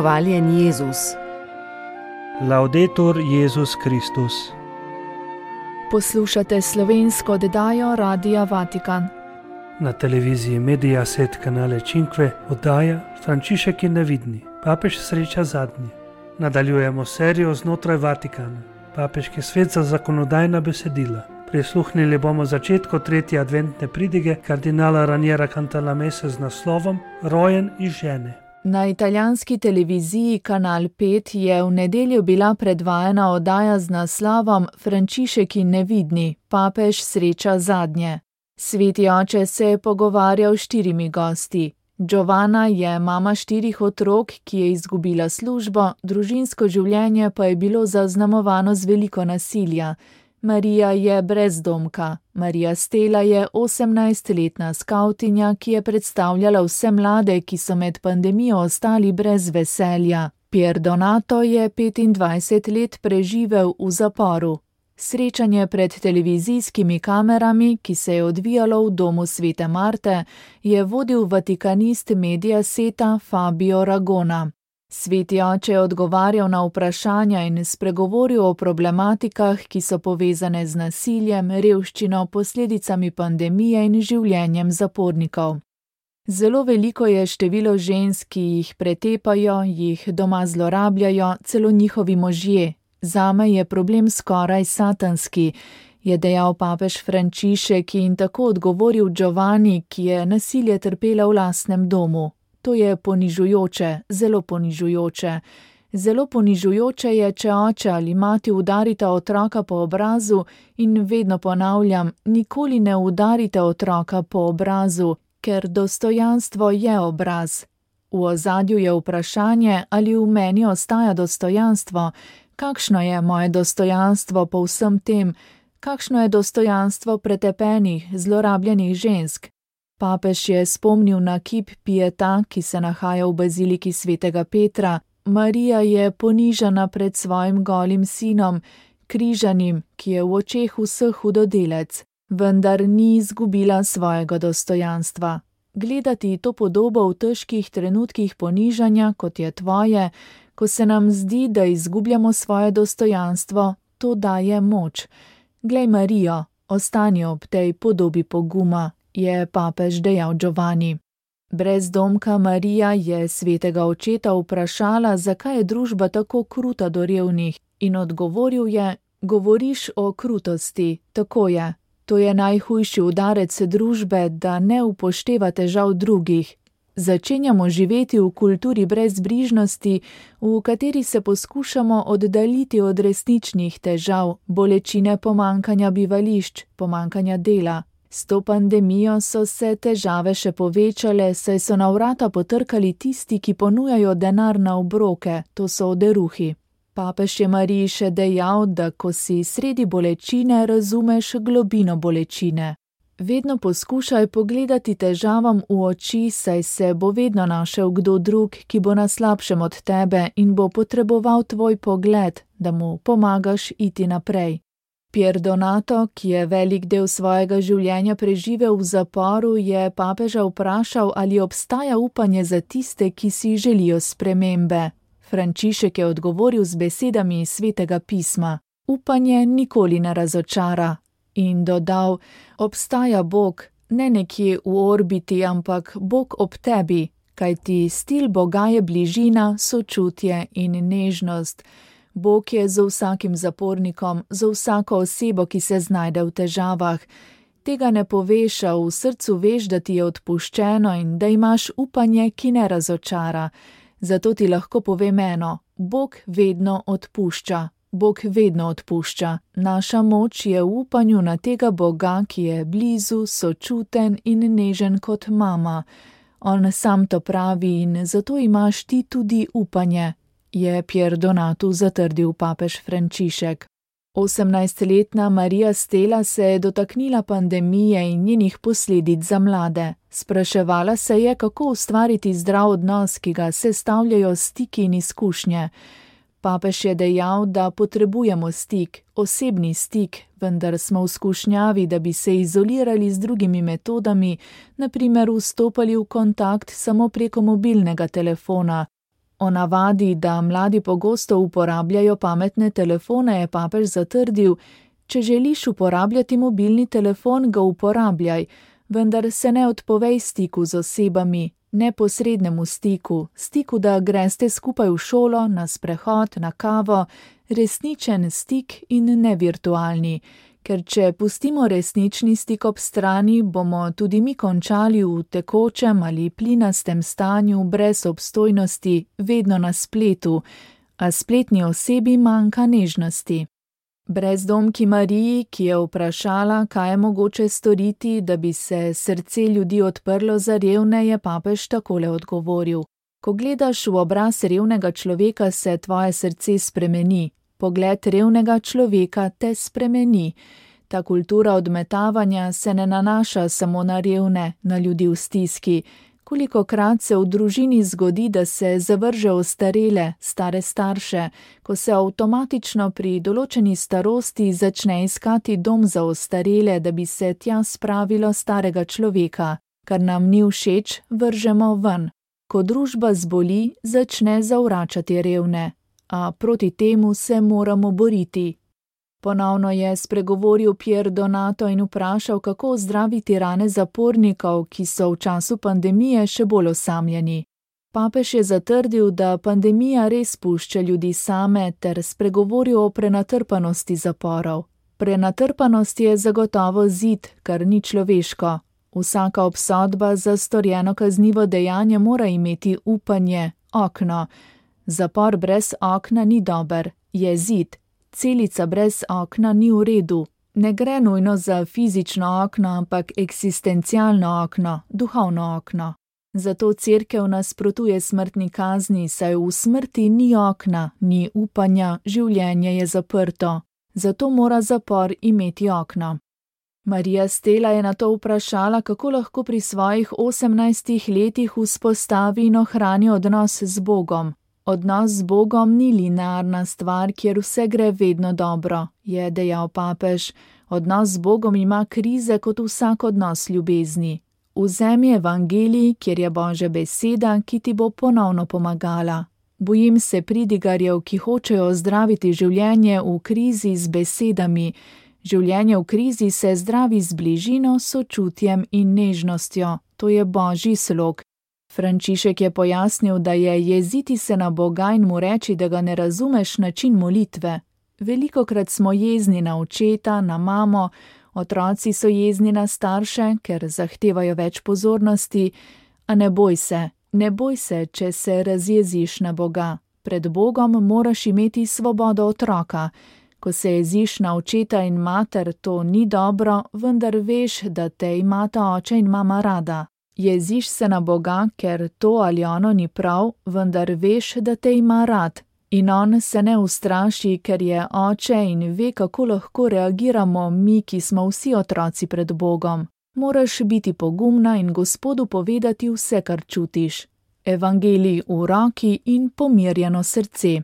Hvaljen Jezus. Laudetur Jezus Kristus. Poslušate slovensko oddajo Radia Vatikan. Na televiziji Mediaset kanale Cinque oddaja Frančišek je nevidni. Papež sreča zadnji. Nadaljujemo serijo znotraj Vatikana. Papeški svet za zakonodajna besedila. Prisluhnili bomo začetku tretje adventne pridige kardinala Raniera Cantalamesse z naslovom Rojen iz žene. Na italijanski televiziji Kanal 5 je v nedeljo bila predvajana oddaja z naslovom Frančišek je nevidni, papež sreča zadnje. Sveti oče se je pogovarjal s 4 gosti. Giovanna je mama 4 otrok, ki je izgubila službo, družinsko življenje pa je bilo zaznamovano z veliko nasilja. Marija je brezdomka. Marija Stella je 18-letna skavtinja, ki je predstavljala vse mlade, ki so med pandemijo ostali brez veselja. Pier Donato je 25 let preživel v zaporu. Srečanje pred televizijskimi kamerami, ki se je odvijalo v domu Svete Marte, je vodil vatikanist Mediaseta Fabio Ragona. Sveti oče je odgovarjal na vprašanja in spregovoril o problematikah, ki so povezane z nasiljem, revščino, posledicami pandemije in življenjem zapornikov. Zelo veliko je število žensk, ki jih pretepajo, jih doma zlorabljajo, celo njihovi možje. Zame je problem skoraj satanski, je dejal papež Frančišek in tako odgovoril Giovanni, ki je nasilje trpela v lastnem domu. To je ponižujoče, zelo ponižujoče. Zelo ponižujoče je, če oče ali mati udarita otroka po obrazu in vedno ponavljam, nikoli ne udarite otroka po obrazu, ker dostojanstvo je obraz. V ozadju je vprašanje, ali v meni ostaja dostojanstvo, kakšno je moje dostojanstvo po vsem tem, kakšno je dostojanstvo pretepenih, zlorabljenih žensk. Papež je spomnil na kip Pieta, ki se nahaja v baziliki svetega Petra. Marija je ponižana pred svojim golim sinom, križanim, ki je v očeh vseh hudodelec, vendar ni izgubila svojega dostojanstva. Gledati to podobo v težkih trenutkih ponižanja, kot je tvoje, ko se nam zdi, da izgubljamo svoje dostojanstvo, to daje moč. Glej Marijo, ostani ob tej podobi poguma, je papež dejal Giovanni. Brezdomka Marija je svetega očeta vprašala, zakaj je družba tako kruta do revnih, in odgovoril je, govoriš o krutosti, tako je. To je najhujši udarec družbe, da ne upošteva težav drugih. Začenjamo živeti v kulturi brezbrižnosti, v kateri se poskušamo oddaljiti od resničnih težav, bolečine pomanjkanja bivališč, pomanjkanja dela. S to pandemijo so se težave še povečale, saj so na vrata potrkali tisti, ki ponujajo denar na obroke, to so oderuhi. Papež je Mariji še dejal, da ko si sredi bolečine, razumeš globino bolečine. Vedno poskušaj pogledati težavam v oči, saj se bo vedno našel kdo drug, ki bo na slabšem od tebe in bo potreboval tvoj pogled, da mu pomagaš iti naprej. Pier Donato, ki je velik del svojega življenja preživel v zaporu, je papeža vprašal, ali obstaja upanje za tiste, ki si želijo spremembe. Frančišek je odgovoril z besedami iz Svetega pisma. Upanje nikoli ne razočara. In dodal, obstaja Bog, ne nekje v orbiti, ampak Bog ob tebi, kajti stil Boga je bližina, sočutje in nežnost. Bog je z vsakim zapornikom, z vsako osebo, ki se znajde v težavah. Tega ne poveš, a v srcu veš, da ti je odpuščeno in da imaš upanje, ki ne razočara. Zato ti lahko povem eno, Bog vedno odpušča. Bog vedno odpušča. Naša moč je v upanju na tega Boga, ki je blizu, sočuten in nežen kot mama. On sam to pravi in zato imaš ti tudi upanje, je Pier Donato zatrdil papež Frančišek. 18-letna Marija Stella se je dotaknila pandemije in njenih posledic za mlade. Spraševala se je, kako ustvariti zdrav odnos, ki ga sestavljajo stiki in izkušnje. Papež je dejal, da potrebujemo stik, osebni stik, vendar smo v skušnjavi, da bi se izolirali z drugimi metodami, na primer vstopali v kontakt samo preko mobilnega telefona. O navadi, da mladi pogosto uporabljajo pametne telefone, je papež zatrdil: če želiš uporabljati mobilni telefon, ga uporabljaj, vendar se ne odpovej stiku z osebami, neposrednemu stiku, da greste skupaj v šolo, na sprehod, na kavo, resničen stik in ne virtualni. Ker če pustimo resnični stik ob strani, bomo tudi mi končali v tekočem ali plinastem stanju brez obstojnosti, vedno na spletu, a spletni osebi manjka nežnosti. Brezdomki Mariji, ki je vprašala, kaj je mogoče storiti, da bi se srce ljudi odprlo za revne, je papež takole odgovoril: ko gledaš v obraz revnega človeka, se tvoje srce spremeni. Pogled revnega človeka te spremeni. Ta kultura odmetavanja se ne nanaša samo na revne, na ljudi v stiski. Kolikokrat se v družini zgodi, da se zavrže ostarele, stare starše, ko se avtomatično pri določeni starosti začne iskati dom za ostarele, da bi se tja spravilo starega človeka. Kar nam ni všeč, vržemo ven. Ko družba zboli, začne zavračati revne. A proti temu se moramo boriti. Ponovno je spregovoril Pier Donato in vprašal, kako ozdraviti rane zapornikov, ki so v času pandemije še bolj osamljeni. Papež je zatrdil, da pandemija res pušča ljudi same, ter spregovoril o prenatrpanosti zaporov. Prenatrpanost je zagotovo zid, kar ni človeško. Vsaka obsodba za storjeno kaznivo dejanje mora imeti upanje, okno. Zapor brez okna ni dober, je zid. Celica brez okna ni v redu. Ne gre nujno za fizično okno, ampak eksistencialno okno, duhovno okno. Zato cerkev nasprotuje smrtni kazni, saj v smrti ni okna, ni upanja, življenje je zaprto. Zato mora zapor imeti okno. Marija Stela je nato vprašala, kako lahko pri svojih 18 letih vzpostavi in ohrani odnos z Bogom. Odnos z Bogom ni linearna stvar, kjer vse gre vedno dobro, je dejal papež. Odnos z Bogom ima krize kot vsak odnos ljubezni. Vzemi evangelij, kjer je Božja beseda, ki ti bo ponovno pomagala. Bojim se pridigarjev, ki hočejo ozdraviti življenje v krizi z besedami. Življenje v krizi se zdravi z bližino, sočutjem in nežnostjo. To je Božji slog. Frančišek je pojasnil, da je jeziti se na Boga in mu reči, da ga ne razumeš, način molitve. Velikokrat smo jezni na očeta, na mamo, otroci so jezni na starše, ker zahtevajo več pozornosti, a ne boj se, če se razjeziš na Boga. Pred Bogom moraš imeti svobodo otroka. Ko se jeziš na očeta in mater, to ni dobro, vendar veš, da te imata oče in mama rada. Jeziš se na Boga, ker to ali ono ni prav, vendar veš, da te ima rad. In on se ne ustraši, ker je oče in ve, kako lahko reagiramo mi, ki smo vsi otroci pred Bogom. Moraš biti pogumna in Gospodu povedati vse, kar čutiš. Evangelij v roki in pomirjeno srce.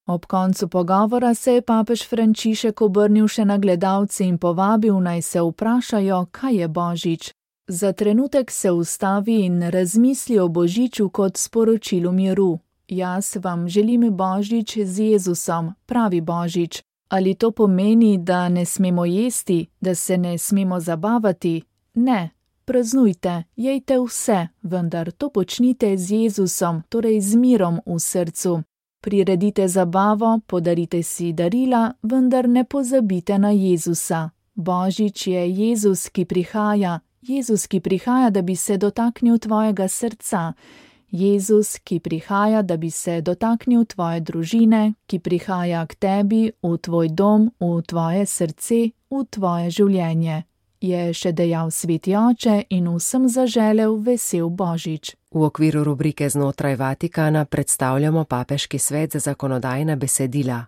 Ob koncu pogovora se je papež Frančišek obrnil še na gledalce in povabil, naj se vprašajo, kaj je Božič. Za trenutek se ustavi in razmisli o Božiču kot sporočilu miru. Jaz vam želim Božič z Jezusom, pravi Božič. Ali to pomeni, da ne smemo jesti, da se ne smemo zabavati? Ne, praznujte, jejte vse, vendar to počnite z Jezusom, torej z mirom v srcu. Priredite zabavo, podarite si darila, vendar ne pozabite na Jezusa. Božič je Jezus, ki prihaja. Jezus, ki prihaja, da bi se dotaknil tvojega srca. Jezus, ki prihaja, da bi se dotaknil tvoje družine, ki prihaja k tebi, v tvoj dom, v tvoje srce, v tvoje življenje. Je še dejal Sveti oče in vsem zaželel vesel Božič. V okviru rubrike Znotraj Vatikana predstavljamo papeški svet za zakonodajna besedila.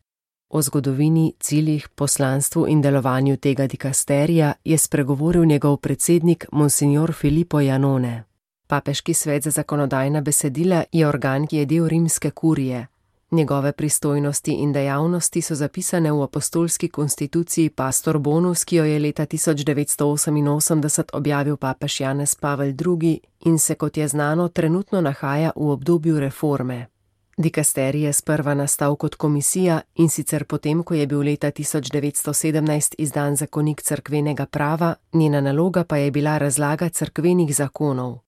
O zgodovini, ciljih, poslanstvu in delovanju tega dikasterija je spregovoril njegov predsednik Monsignor Filippo Iannone. Papeški svet za zakonodajna besedila je organ, ki je del rimske kurije. Njegove pristojnosti in dejavnosti so zapisane v apostolski konstituciji Pastor Bonus, ki jo je leta 1988 objavil papež Janez Pavel II in se, kot je znano, trenutno nahaja v obdobju reforme. Dikasterij je sprva nastal kot komisija, in sicer potem, ko je bil leta 1917 izdan zakonik cerkvenega prava, njena naloga pa je bila razlaga cerkvenih zakonov.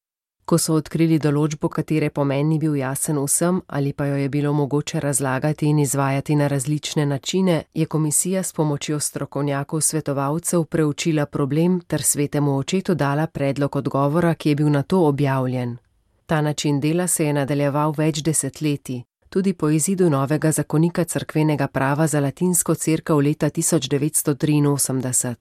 Ko so odkrili določbo, katere pomen ni bil jasen vsem ali pa jo je bilo mogoče razlagati in izvajati na različne načine, je komisija s pomočjo strokovnjakov svetovalcev preučila problem ter svetemu očetu dala predlog odgovora, ki je bil nato objavljen. Ta način dela se je nadaljeval več desetletij, tudi po izidu novega zakonika cerkvenega prava za latinsko cerkev leta 1983.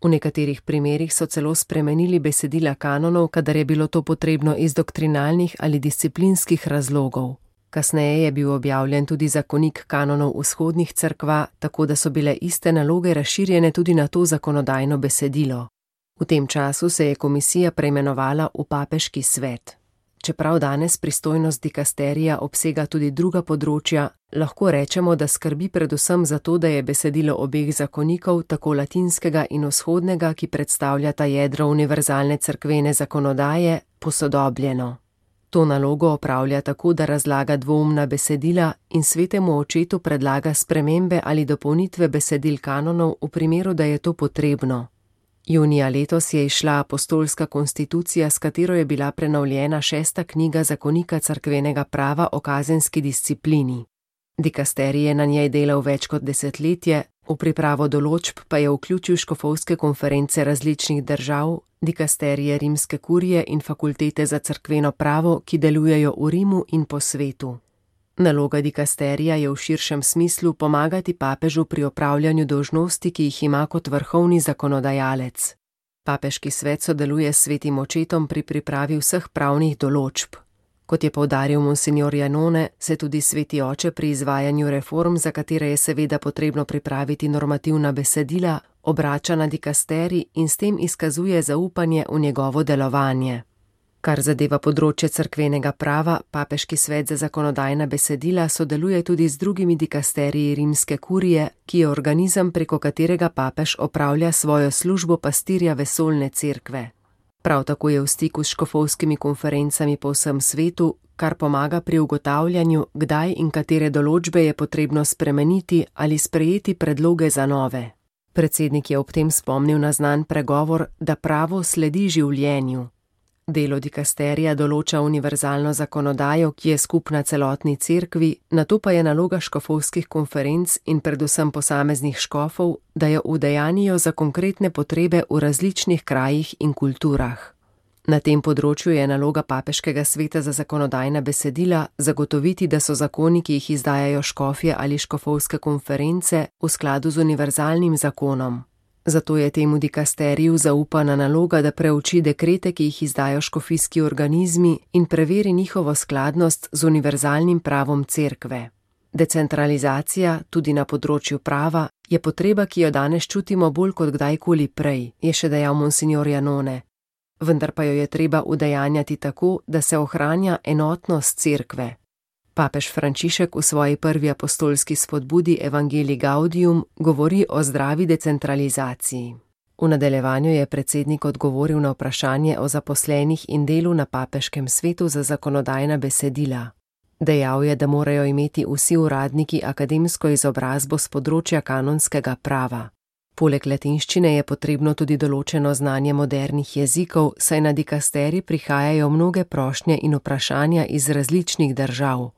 V nekaterih primerih so celo spremenili besedila kanonov, kadar je bilo to potrebno iz doktrinalnih ali disciplinskih razlogov. Kasneje je bil objavljen tudi zakonik kanonov vzhodnih cerkva, tako da so bile iste naloge razširjene tudi na to zakonodajno besedilo. V tem času se je komisija preimenovala v papeški svet. Čeprav danes pristojnost dikasterija obsega tudi druga področja, lahko rečemo, da skrbi predvsem za to, da je besedilo obeh zakonikov, tako latinskega in vzhodnega, ki predstavljata jedro univerzalne cerkvene zakonodaje, posodobljeno. To nalogo opravlja tako, da razlaga dvoumna besedila in svetemu očetu predlaga spremembe ali dopolnitve besedil kanonov v primeru, da je to potrebno. Junija letos je izšla apostolska konstitucija, s katero je bila prenovljena 6. knjiga zakonika cerkvenega prava o kazenski disciplini. Dikasterij je na njej delal več kot desetletje, v pripravo določb pa je vključil škofovske konference različnih držav, dikasterije rimske kurije in fakultete za cerkveno pravo, ki delujejo v Rimu in po svetu. Naloga dikasterija je v širšem smislu pomagati papežu pri opravljanju dolžnosti, ki jih ima kot vrhovni zakonodajalec. Papeški svet sodeluje s svetim očetom pri pripravi vseh pravnih določb. Kot je poudaril monsignor Janone, se tudi sveti oče pri izvajanju reform, za katere je seveda potrebno pripraviti normativna besedila, obrača na dikasterij in s tem izkazuje zaupanje v njegovo delovanje. Kar zadeva področje cerkvenega prava, papeški svet za zakonodajna besedila sodeluje tudi z drugimi dikasteriji rimske kurije, ki je organizem, preko katerega papež opravlja svojo službo pastirja vesoljne cerkve. Prav tako je v stiku s škofovskimi konferencami po vsem svetu, kar pomaga pri ugotavljanju, kdaj in katere določbe je potrebno spremeniti ali sprejeti predloge za nove. Predsednik je ob tem spomnil na znan pregovor, da pravo sledi življenju. Delo dikasterija določa univerzalno zakonodajo, ki je skupna celotni cerkvi, nato pa je naloga škofovskih konferenc in predvsem posameznih škofov, da jo udejanijo za konkretne potrebe v različnih krajih in kulturah. Na tem področju je naloga papeškega sveta za zakonodajna besedila zagotoviti, da so zakoni, ki jih izdajajo škofje ali škofovske konference, v skladu z univerzalnim zakonom. Zato je temu dikasteriju zaupana naloga, da preuči dekrete, ki jih izdajo škofijski organizmi in preveri njihovo skladnost z univerzalnim pravom cerkve. Decentralizacija, tudi na področju prava, je potreba, ki jo danes čutimo bolj kot kdajkoli prej, je še dejal monsignor Janone. Vendar pa jo je treba udejanjati tako, da se ohranja enotnost cerkve. Papež Frančišek v svoji prvi apostolski spodbudi Evangelii Gaudium govori o zdravi decentralizaciji. V nadaljevanju je predsednik odgovoril na vprašanje o zaposlenih in delu na papeškem svetu za zakonodajna besedila. Dejal je, da morajo imeti vsi uradniki akademsko izobrazbo s področja kanonskega prava. Poleg latinščine je potrebno tudi določeno znanje modernih jezikov, saj na dikasterij prihajajo mnoge prošnje in vprašanja iz različnih držav.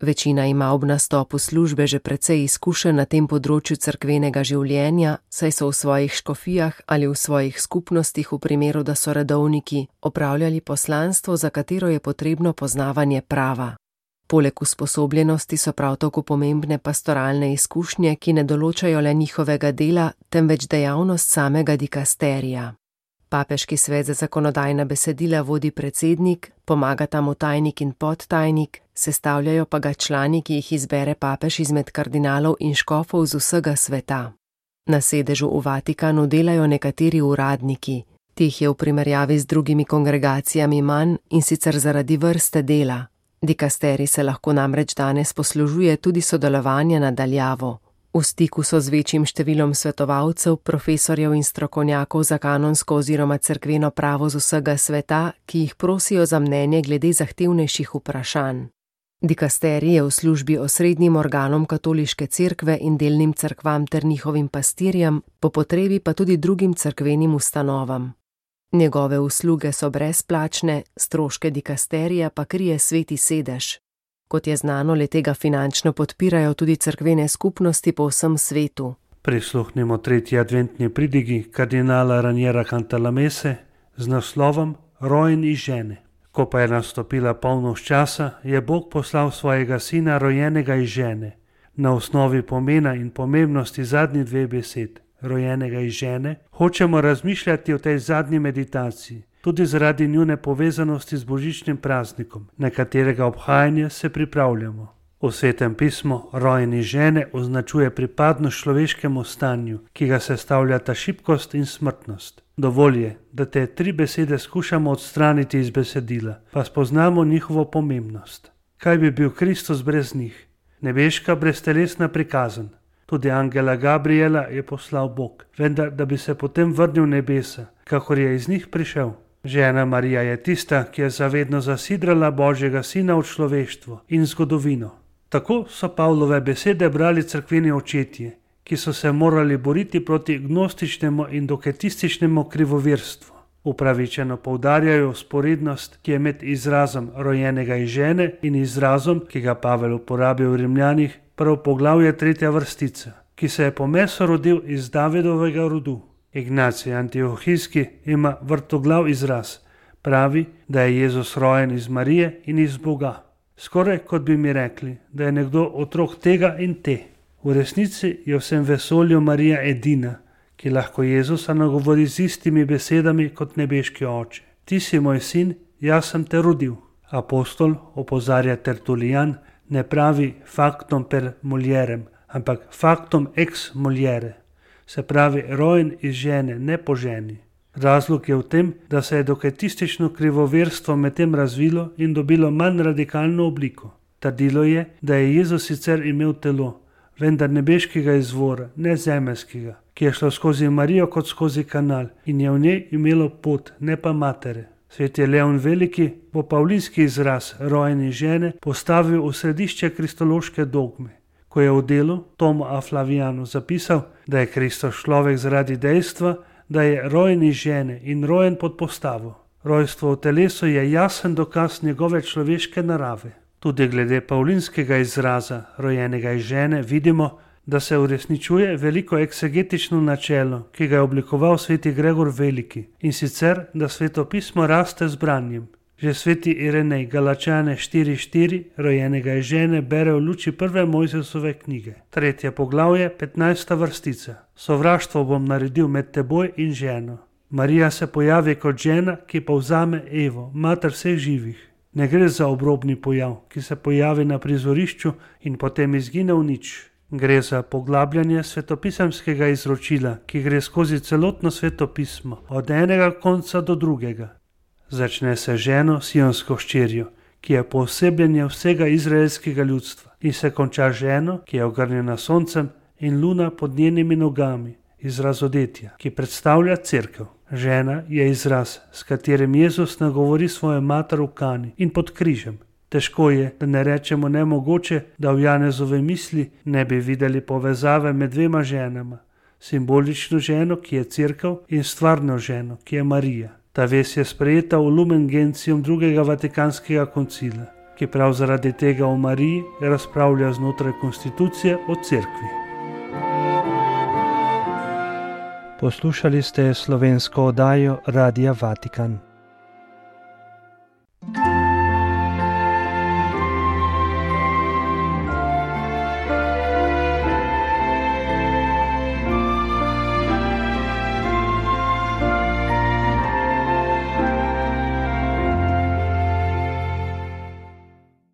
Večina ima ob nastopu službe že precej izkušenj na tem področju cerkvenega življenja, saj so v svojih škofijah ali v svojih skupnostih v primeru, da so redovniki, opravljali poslanstvo, za katero je potrebno poznavanje prava. Poleg usposobljenosti so prav tako pomembne pastoralne izkušnje, ki ne določajo le njihovega dela, temveč dejavnost samega dikasterija. Papeški svet za zakonodajna besedila vodi predsednik, pomagata mu tajnik in podtajnik, sestavljajo pa ga člani, ki jih izbere papež izmed kardinalov in škofov z vsega sveta. Na sedežu v Vatikanu delajo nekateri uradniki, teh je v primerjavi z drugimi kongregacijami manj, in sicer zaradi vrste dela. Dikasterij se lahko namreč danes poslužuje tudi sodelovanja na daljavo. V stiku so z večjim številom svetovalcev, profesorjev in strokovnjakov za kanonsko oziroma cerkveno pravo z vsega sveta, ki jih prosijo za mnenje glede zahtevnejših vprašanj. Dikasterij je v službi osrednjim organom katoliške cerkve in delnim cerkvam ter njihovim pastirjem, po potrebi pa tudi drugim cerkvenim ustanovam. Njegove usluge so brezplačne, stroške dikasterija pa krije Sveti sedež. Kot je znano, le-tega finančno podpirajo tudi cerkvene skupnosti po vsem svetu. Prisluhnimo tretji adventni pridigi kardinala Raniera Cantalamesse z naslovom Rojen iz žene. Ko pa je nastopila polnoč časa, je Bog poslal svojega sina, rojenega iz žene. Na osnovi pomena in pomembnosti zadnji dve besed, rojenega iz žene, hočemo razmišljati o tej zadnji meditaciji, tudi zaradi njune povezanosti z božičnim praznikom, na katerega obhajanje se pripravljamo. V Svetem pismu rojen iz žene označuje pripadnost človeškemu stanju, ki ga sestavljata šibkost in smrtnost. Dovolj je, da te tri besede skušamo odstraniti iz besedila, pa spoznamo njihovo pomembnost. Kaj bi bil Kristus brez njih? Nebeška breztelesna prikazan. Tudi angela Gabriela je poslal Bog, vendar da bi se potem vrnil v nebesa, kakor je iz njih prišel. Žena Marija je tista, ki je zavedno zasidrala Božjega sina v človeštvo in zgodovino. Tako so Pavlove besede brali cerkveni očetje, ki so se morali boriti proti gnostičnemu in doketističnemu krivovirstvu. Upravičeno poudarjajo sporednost, ki je med izrazom rojenega iz žene in izrazom, ki ga Pavel uporabi v Rimljanih, prvo poglavje 3. vrstica, ki se je po mesu rodil iz Davidovega rodu. Ignacij Antiohijski ima vrtoglav izraz, pravi, da je Jezus rojen iz Marije in iz Boga. Skoraj kot bi mi rekli, da je nekdo otrok tega in te. V resnici je v vsem vesolju Marija edina, ki lahko Jezusa nagovori z istimi besedami kot nebeški oče. Ti si moj sin, jaz sem te rodil. Apostol, opozarja Tertulijan, ne pravi factum per mulierem, ampak factum ex muliere. Se pravi rojen iz žene, ne po ženi. Razlog je v tem, da se je doketistično krivoverstvo medtem razvilo in dobilo manj radikalno obliko. Trdilo je, da je Jezus sicer imel telo, vendar nebeškega izvora, ne zemeljskega, ki je šlo skozi Marijo kot skozi kanal in je v njej imelo pot, ne pa matere. Sveti Leon Veliki bo pavlinski izraz rojeni žene postavil v središče kristološke dogme, ko je v delu Tomu a Flavianu zapisal, da je Kristus človek zaradi dejstva, da je rojen iz žene in rojen pod postavo. Rojstvo v telesu je jasen dokaz njegove človeške narave. Tudi glede pavlinskega izraza rojenega iz žene vidimo, da se uresničuje veliko eksegetično načelo, ki ga je oblikoval sveti Gregor Veliki, in sicer, da svetopismo raste z branjem. Že sveti Irenej Galačane 4.4 rojenega iz žene bere v luči prve Mojzesove knjige. 3. poglavje, 15. vrstica. Sovraštvo bom naredil med teboj in ženo. Marija se pojavi kot žena, ki povzame Evo, mater vseh živih. Ne gre za obrobni pojav, ki se pojavi na prizorišču in potem izgine v nič. Gre za poglabljanje svetopisemskega izročila, ki gre skozi celotno svetopismo, od enega konca do drugega. Začne se ženo, sionsko hčerjo, ki je poosebljenje vsega izraelskega ljudstva, in se konča ženo, ki je ogrnjena soncem in luna pod njenimi nogami, izraz odetja, ki predstavlja cerkev. Žena je izraz, s katerim Jezus nagovori svojo mater v Kani in pod križem. Težko je, da ne rečemo nemogoče, da v Janezove misli ne bi videli povezave med dvema ženama, simbolično ženo, ki je cerkev, in stvarno ženo, ki je Marija. Ta vez je sprejeta v Lumen Gentium drugega Vatikanskega koncila, ki prav zaradi tega o Mariji razpravlja znotraj konstitucije o cerkvi. Poslušali ste slovensko oddajo Radia Vatikan.